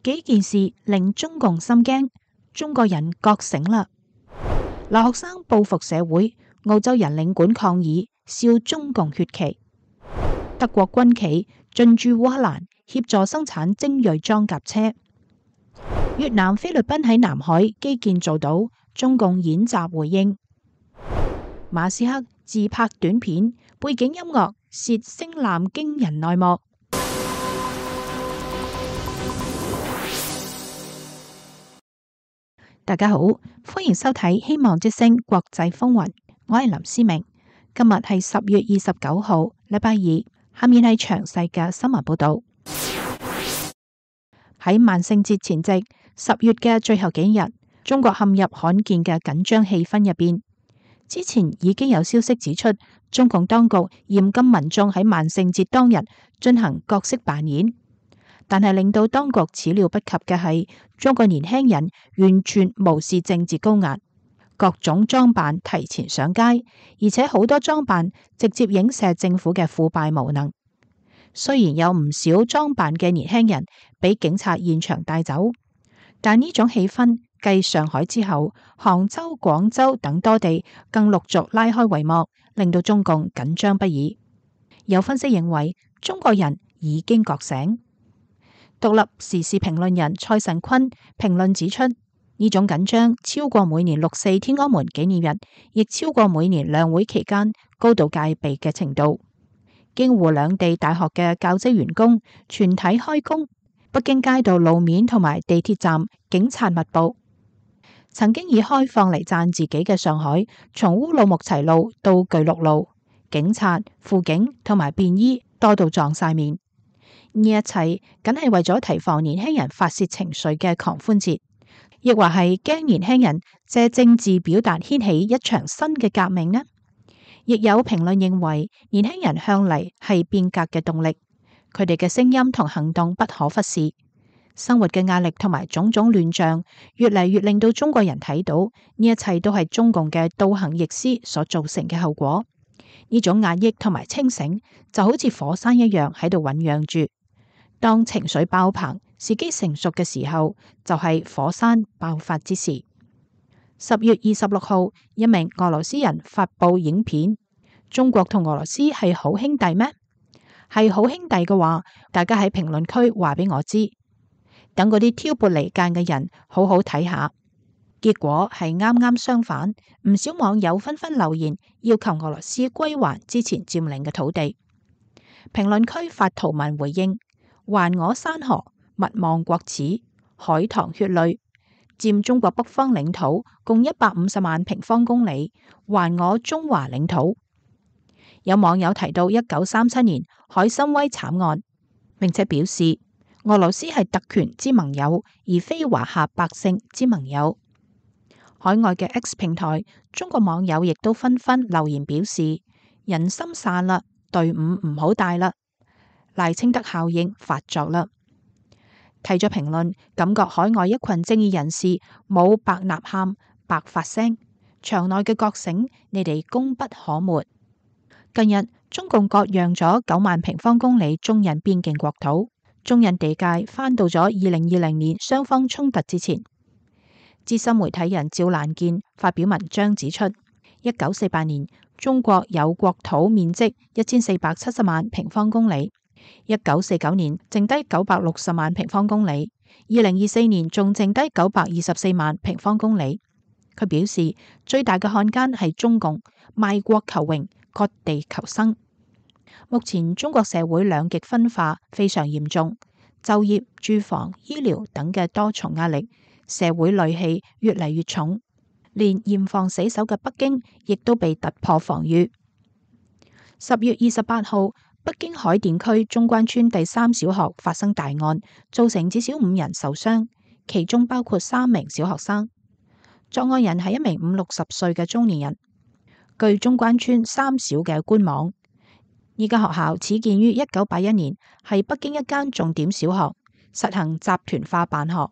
幾件事令中共心驚，中國人覺醒啦。留學生報復社會，澳洲人領館抗議，笑中共血旗。德國軍企進駐烏克蘭，協助生產精銳裝甲車。越南、菲律賓喺南海基建做到，中共演習回應。馬斯克自拍短片，背景音樂涉星艦驚人內幕。大家好，歡迎收睇希望之聲國際風雲，我係林思明。今日係10月29號，禮拜二。下面係詳細嘅新聞報道。喺萬聖節前夕，10月嘅最後幾日，中國陷入罕見嘅緊張氣氛入邊。之前已經有消息指出，中共當局嚴禁民眾喺萬聖節當日進行角色扮演。但係令到當局始料不及嘅係，中國年輕人完全無視政治高壓，各種裝扮提前上街，而且好多裝扮直接影射政府嘅腐敗無能。雖然有唔少裝扮嘅年輕人俾警察現場帶走，但呢種氣氛繼上海之後，杭州、廣州等多地更陸續拉開帷幕，令到中共緊張不已。有分析認為，中國人已經覺醒。獨立時事評論人蔡慎坤評論指出，呢種緊張超過每年6.4天安門紀念日，亦超過每年兩會期間高度戒備嘅程度。京滬兩地大學嘅教職員工全體開工，北京街道路面同埋地鐵站警察密布。曾經以開放嚟讚自己嘅上海，從烏魯木齊路到巨鹿路，警察、輔警同埋便衣多到撞晒面。呢一切梗係為咗提防年輕人發洩情緒嘅狂歡節，亦或係驚年輕人借政治表達掀起一場新嘅革命呢？亦有評論認為，年輕人向嚟係變革嘅動力，佢哋嘅聲音同行動不可忽視。生活嘅壓力同埋種種亂象，越嚟越令到中國人睇到呢一切都係中共嘅倒行逆施所造成嘅後果。呢種壓抑同埋清醒，就好似火山一樣喺度醞釀住。當情緒爆棚、時機成熟嘅時候，就係火山爆發之時。10月26號，一名俄羅斯人發布影片：中國同俄羅斯係好兄弟咩？係好兄弟嘅話，大家喺評論區話俾我知，等嗰啲挑撥離間嘅人好好睇下。結果係啱啱相反，唔少網友紛紛留言要求俄羅斯歸還之前佔領嘅土地。評論區發圖文回應：還我山河，勿忘國恥，海棠血淚，佔中國北方領土共150萬平方公里，還我中華領土。有網友提到1937年海參崴慘案，並且表示俄羅斯係特權之盟友，而非華夏百姓之盟友。海外嘅 X 平台，中國網友亦都紛紛留言表示：人心散啦，隊伍唔好帶啦，賴清德效應發作啦。睇咗評論，感覺海外一群正義人士冇白吶喊、白發聲，場內嘅覺醒，你哋功不可沒。近日，中共割讓咗9萬平方公里中印邊境國土，中印地界翻到咗2020年雙方衝突之前。資深媒體人趙蘭健發表文章指出，1948年中國有國土面積1470萬平方公里，1949年剩低960萬平方公里，2024年仲剩低924萬平方公里。佢表示，最大嘅漢奸係中共，賣國求榮，割地求生。目前中國社會兩極分化非常嚴重，就業、住房、醫療等嘅多重壓力，社會戾氣越嚟越重，連嚴防死守嘅北京亦都被突破防禦。10月28號，北京海淀區中關村第3小學發生大案，造成至少5人受傷，其中包括3名小學生。作案人係一名50-60歲嘅中年人。據中關村3小嘅官網，呢間學校始建於1981年，係北京一間重點小學，實行集團化辦學。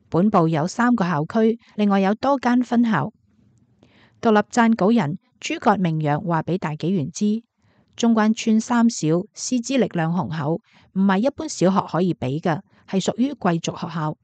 本部有3個校區，另外有多間分校。獨立撰稿人諸葛明陽話俾大紀元知，中關村3小師資力量雄厚，唔係一般小學可以比嘅，係屬於貴族學校。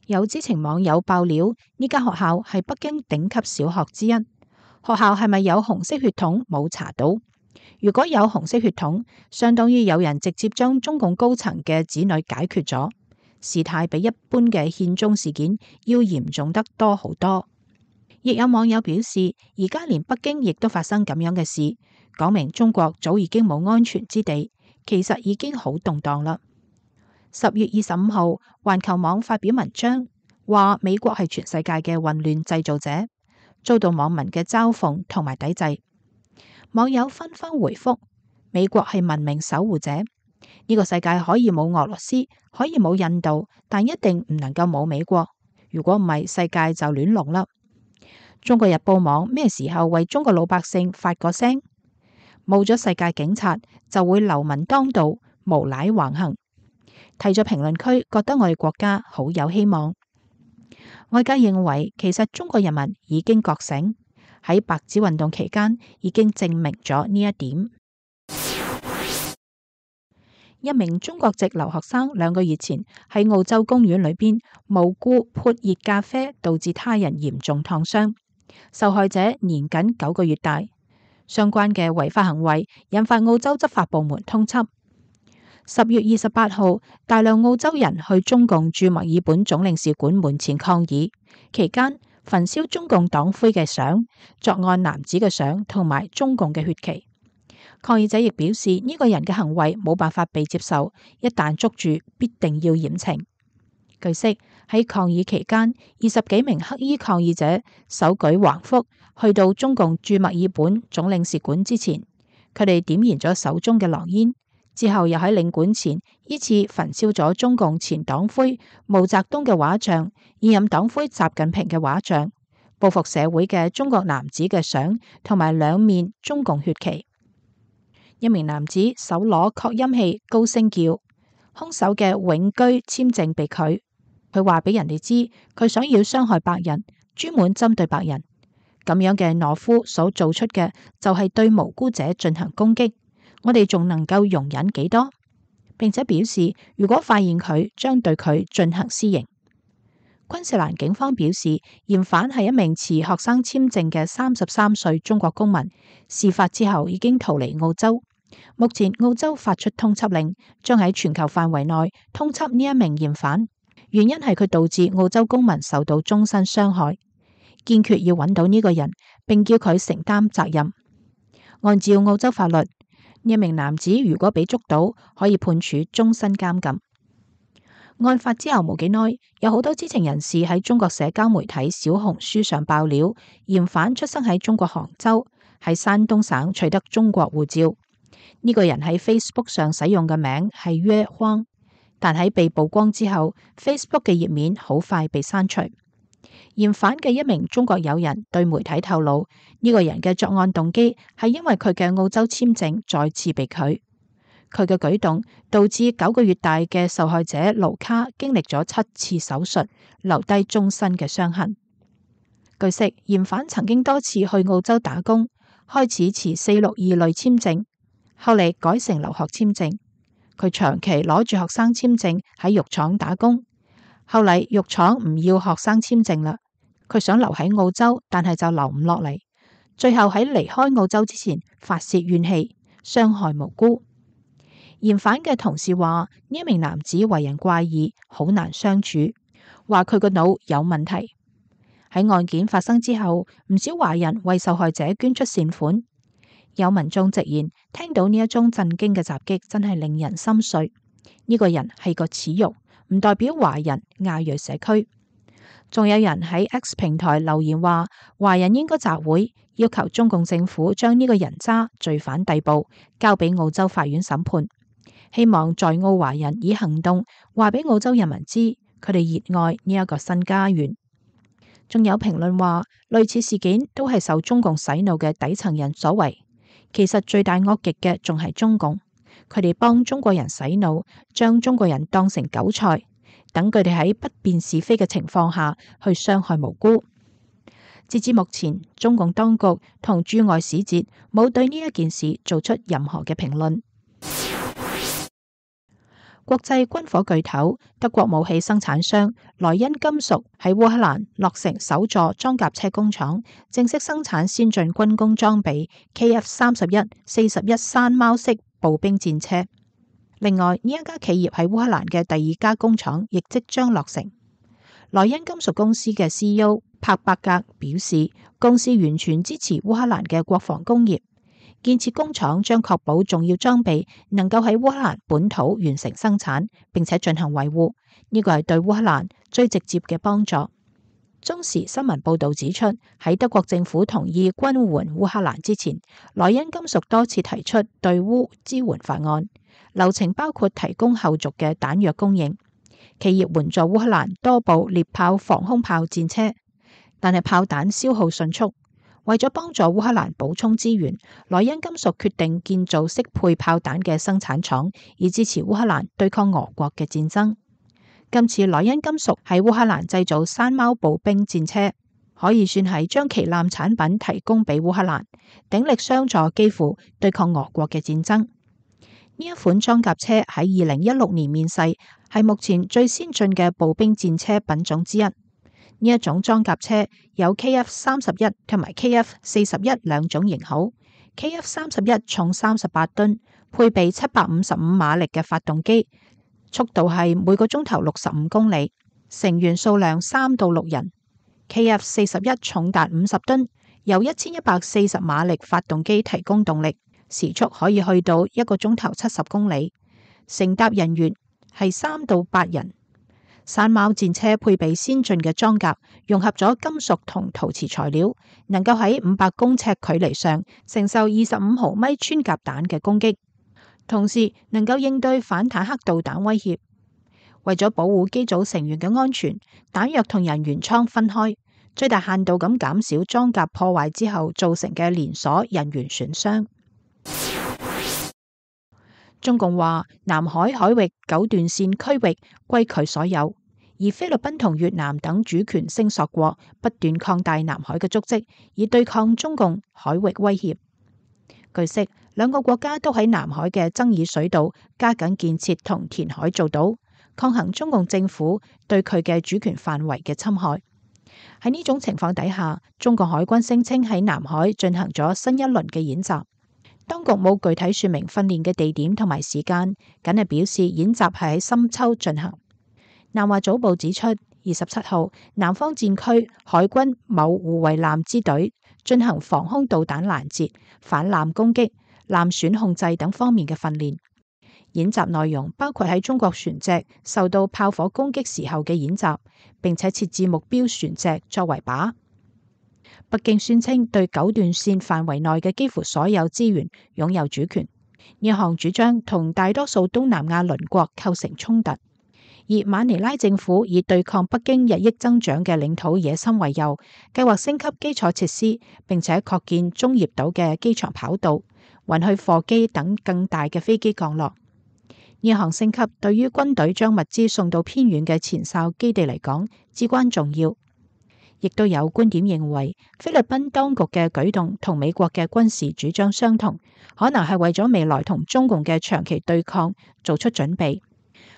有知情網友爆料，呢間學校係北京頂級小學之一。學校係咪有紅色血統冇查到？如果有紅色血統，相當於有人直接將中共高層嘅子女解決咗，事態比一般嘅獻中事件要嚴重得多好多。亦有網友表示，而家連北京亦都發生咁樣嘅事，講明中國早已經冇安全之地，其實已經好動盪啦。10月25號，環球網發表文章，話美國係全世界嘅混亂製造者，遭到網民嘅嘲諷同埋抵制。網友紛紛回覆：美國係文明守護者，呢個世界可以冇俄羅斯，可以冇印度，但一定唔能夠冇美國。如果唔係，世界就亂龍啦。中國日報網咩時候為中國老百姓發個聲？冇咗世界警察，就會流民當道，無賴橫行。睇咗評論區，覺得我哋國家好有希望。外界認為，其實中國人民已經覺醒，喺白紙運動期間已經證明咗呢一點。一名中國籍留學生2個月前喺澳洲公園裏邊無故潑熱咖啡，導致他人嚴重燙傷，受害者年僅9個月大。相關嘅違法行為引發澳洲執法部門通緝。10月28號，大量澳洲人去中共駐墨爾本總領事館門前抗議，期間焚燒中共黨魁嘅相、作案男子嘅相同埋中共嘅血旗。抗議者亦表示，呢個人嘅行為冇辦法被接受，一旦捉住，必定要嚴懲。據悉，喺抗議期間，20幾名黑衣抗議者手舉橫幅，去到中共駐墨爾本總領事館之前，佢哋點燃咗手中嘅狼煙，之後又喺領館前依次焚燒咗中共前黨魁毛澤東嘅畫像、現任黨魁習近平嘅畫像、報復社會嘅中國男子嘅相同埋2面中共血旗。一名男子手攞擴音器高聲叫，兇手嘅永居簽證被拒。佢話俾人哋知，佢想要傷害白人，專門針對白人。咁樣嘅懦夫所做出嘅就係對無辜者進行攻擊，我哋仲能夠容忍幾多？並且表示，如果發現佢，將對佢進行私刑。昆士蘭警方表示，嫌犯係一名持學生簽證嘅33歲中國公民，事發之後已經逃離澳洲。目前澳洲發出通緝令，將喺全球範圍內通緝呢一名嫌犯，原因係佢導致澳洲公民受到終身傷害，堅決要揾到呢個人，並叫佢承擔責任。按照澳洲法律，呢一名男子如果被捉到，可以判處終身監禁。案發之後冇幾耐，有好多知情人士喺中國社交媒體小紅書上爆料，嫌犯出生喺中國杭州，喺山東省取得中國護照。呢個人喺 Facebook 上使用嘅名係約荒，但喺被曝光之後 ，Facebook 嘅頁面好快被刪除。嫌犯嘅一名中國友人對媒體透露，呢個人嘅作案動機係因為佢嘅澳洲簽證再次被拒。佢嘅舉動導致9個月大嘅受害者盧卡經歷咗7次手術，留低終身嘅傷痕。據悉，嫌犯曾經多次去澳洲打工，開始持462類簽證，後嚟改成留學簽證。佢長期攞住學生簽證喺肉廠打工，後嚟肉廠唔要學生簽證啦，佢想留喺澳洲，但係就留唔落嚟。最後喺離開澳洲之前發洩怨氣，傷害無辜。嫌犯嘅同事話，呢一名男子為人怪異，好難相處，話佢個腦有問題。喺案件發生之後，唔少華人為受害者捐出善款。有民眾直言，聽到呢一宗震驚嘅襲擊，真係令人心碎。呢個人係個恥辱，唔代表華人亞裔社區。仲有人喺 X 平台留言話，華人應該集會，要求中共政府將呢個人渣罪犯逮捕，交俾澳洲法院審判。希望在澳華人以行動話俾澳洲人民知，佢哋熱愛呢一個新家園。仲有評論話，類似事件都係受中共洗腦嘅底層人所為。其實罪大惡極嘅仲係中共，佢哋幫中國人洗腦，將中國人當成韭菜，等佢哋喺不辨是非嘅情況下去傷害無辜。截至目前，中共當局同駐外使節冇對呢一件事做出任何嘅評論。國際軍火巨頭德國武器生產商萊茵金屬喺烏克蘭落成首座裝甲車工廠，正式生產先進軍工裝備 KF-31 41山貓式步兵戰車。另外，呢一家企業喺烏克蘭嘅第二家工廠亦即將落成。萊茵金屬公司嘅 CEO 帕伯格表示，公司完全支持烏克蘭嘅國防工業。建設工廠將確保重要裝備能夠喺烏克蘭本土完成生產，並且進行維護。呢個係對烏克蘭最直接嘅幫助。中時新聞報道指出，喺德國政府同意軍援烏克蘭之前，萊茵金屬多次提出對烏支援法案，流程包括提供後續嘅彈藥供應，企業援助烏克蘭多部獵豹防空炮戰車，但係炮彈消耗迅速。為咗幫助烏克蘭補充資源，萊茵金屬決定建造適配炮彈嘅生產廠，以支持烏克蘭對抗俄國嘅戰爭。今次萊茵金屬喺烏克蘭製造山貓步兵戰車，可以算係將旗艦產品提供俾烏克蘭，鼎力相助基輔對抗俄國嘅戰爭。呢一款裝甲車喺2016年面世，係目前最先進嘅步兵戰車品種之一。呢一種裝甲車有 KF-31 同埋 KF-41 兩種型號。KF-31 重38噸，配備755馬力嘅發動機，速度係每個鐘頭65公里，成員數量3到6人。KF-41 重達50噸，由1140馬力發動機提供動力，時速可以去到1個鐘頭70公里，乘搭人員係3到8人。山貓戰車配備先進嘅裝甲，融合咗金屬同陶瓷材料，能夠喺500公尺距離上承受25毫米穿甲彈嘅攻擊，同時能夠應對反坦克導彈威脅。為咗保護機組成員嘅安全，彈藥同人員艙分開，最大限度咁減少裝甲破壞之後造成嘅連鎖人員損傷。中共話南海海域9段線區域歸佢所有，而菲律賓同越南等主權聲索國不斷擴大南海嘅足跡，以對抗中共海域威脅。據悉，兩個國家都喺南海嘅爭議水道加緊建設同填海造島，抗衡中共政府對佢嘅主權範圍嘅侵害。喺呢種情況底下，中國海軍聲稱喺南海進行咗新一輪嘅演習。當局冇具體說明訓練嘅地點同埋時間，僅係表示演習係喺深秋進行。南華早報指出，27號南方戰區海軍某護衛艦支隊進行防空導彈攔截、反艦攻擊、艦損控制等方面嘅訓練。演習內容包括喺中國船隻受到炮火攻擊時候嘅演習，並且設置目標船隻作為靶。北京宣稱對9段線範圍內嘅幾乎所有資源擁有主權，呢項主張同大多數東南亞鄰國構成衝突。而馬尼拉政府以對抗北京日益增長嘅領土野心為由，計劃升級基礎設施，並且擴建中業島嘅機場跑道，允許貨機等更大嘅飛機降落。呢項升級對於軍隊將物資送到偏遠嘅前哨基地嚟講至關重要。亦都有觀點認為，菲律賓當局嘅舉動同美國嘅軍事主張相同，可能係為咗未來同中共嘅長期對抗做出準備。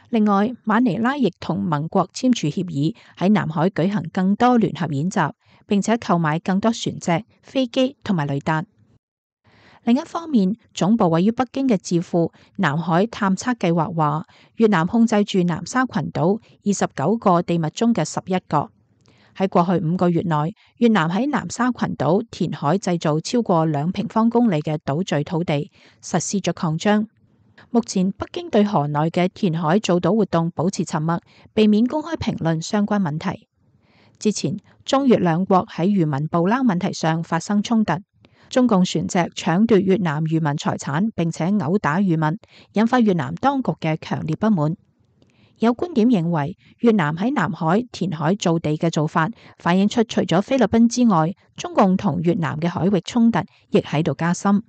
另外，馬尼拉亦同盟國簽署協議，喺南海舉行更多聯合演習，並且購買更多船隻、飛機同埋雷達。另一方面，總部位於北京嘅智庫南海探測計劃話，越南控制住南沙群島29個地脈中嘅11個。喺過去5個月內，越南喺南沙群島填海製造超過2平方公里嘅島嶼土地，實施咗擴張。目前北京對河內嘅填海造島活動保持沉默，避免公開評論相關問題。之前中越兩國喺漁民捕撈問題上發生衝突，中共船隻搶奪越南漁民財產，並且毆打漁民，引發越南當局嘅強烈不滿。有觀點認為，越南喺南海填海造地嘅做法，反映出除咗菲律賓之外，中共同越南嘅海域衝突亦喺度加深。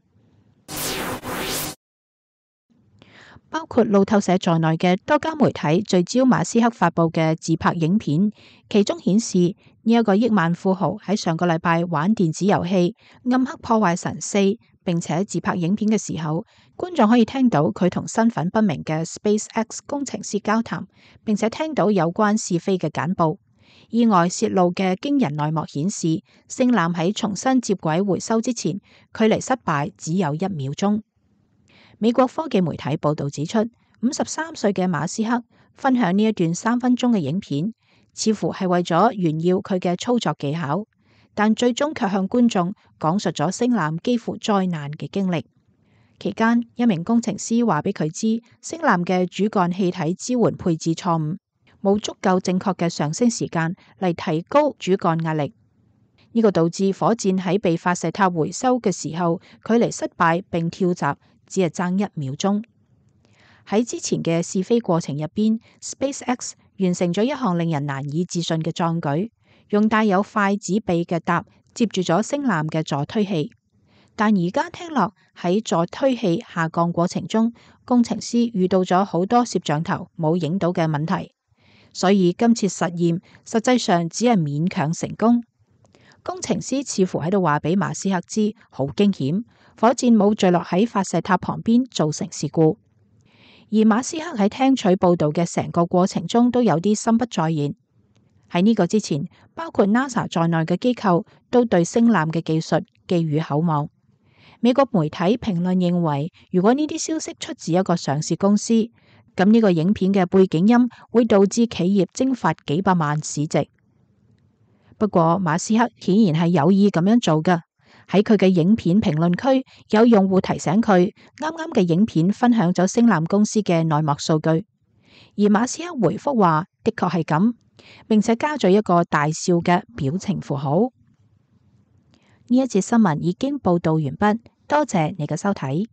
包括路透社在內嘅多家媒體聚焦馬斯克發佈嘅自拍影片，其中顯示呢一個億萬富豪喺上個禮拜玩電子遊戲《暗黑破壞神4》並且自拍影片嘅時候，觀眾可以聽到佢同身份不明嘅 SpaceX 工程師交談，並且聽到有關試飛嘅簡報。意外泄露嘅驚人內幕顯示，星艦喺重新接軌回收之前，距離失敗只有1秒鐘。美國科技媒體報道指出，53歲嘅馬斯克分享呢一段3分鐘嘅影片，似乎係為咗炫耀佢嘅操作技巧，但最終卻向觀眾講述咗星艦幾乎災難嘅經歷。期間，一名工程師話俾佢知，星艦嘅主幹氣體支援配置錯誤，冇足夠正確嘅上升時間嚟提高主幹壓力，呢個導致火箭喺被發射塔回收嘅時候，距離失敗並跳閘只係爭1秒鐘。喺之前嘅試飛過程入邊，SpaceX 完成咗一項令人難以置信嘅壯舉，用帶有筷子臂嘅搭接住咗星艦嘅助推器。但而家聽落喺助推器下降過程中，工程師遇到咗好多攝像頭冇影到嘅問題。所以今次實驗實際上只係勉強成功。工程師似乎喺度話俾馬斯克知，好驚險，火箭冇墜落喺發射塔旁邊造成事故。而馬斯克喺聽取報道嘅成個過程中都有啲心不在焉。喺呢個之前，包括 NASA 在內嘅機構都對星艦嘅技術寄予厚望。美國媒體評論認為，如果呢啲消息出自一個上市公司，咁呢個影片嘅背景音會導致企業蒸發幾百萬市值。不過馬斯克顯然係有意咁樣做㗎。喺佢嘅影片評論區，有用戶提醒佢，啱啱嘅影片分享咗星艦公司嘅內幕數據，而馬斯克回覆話的確係咁，並且加咗一個大笑嘅表情符號。呢一節新聞已經報道完畢，多謝你嘅收睇。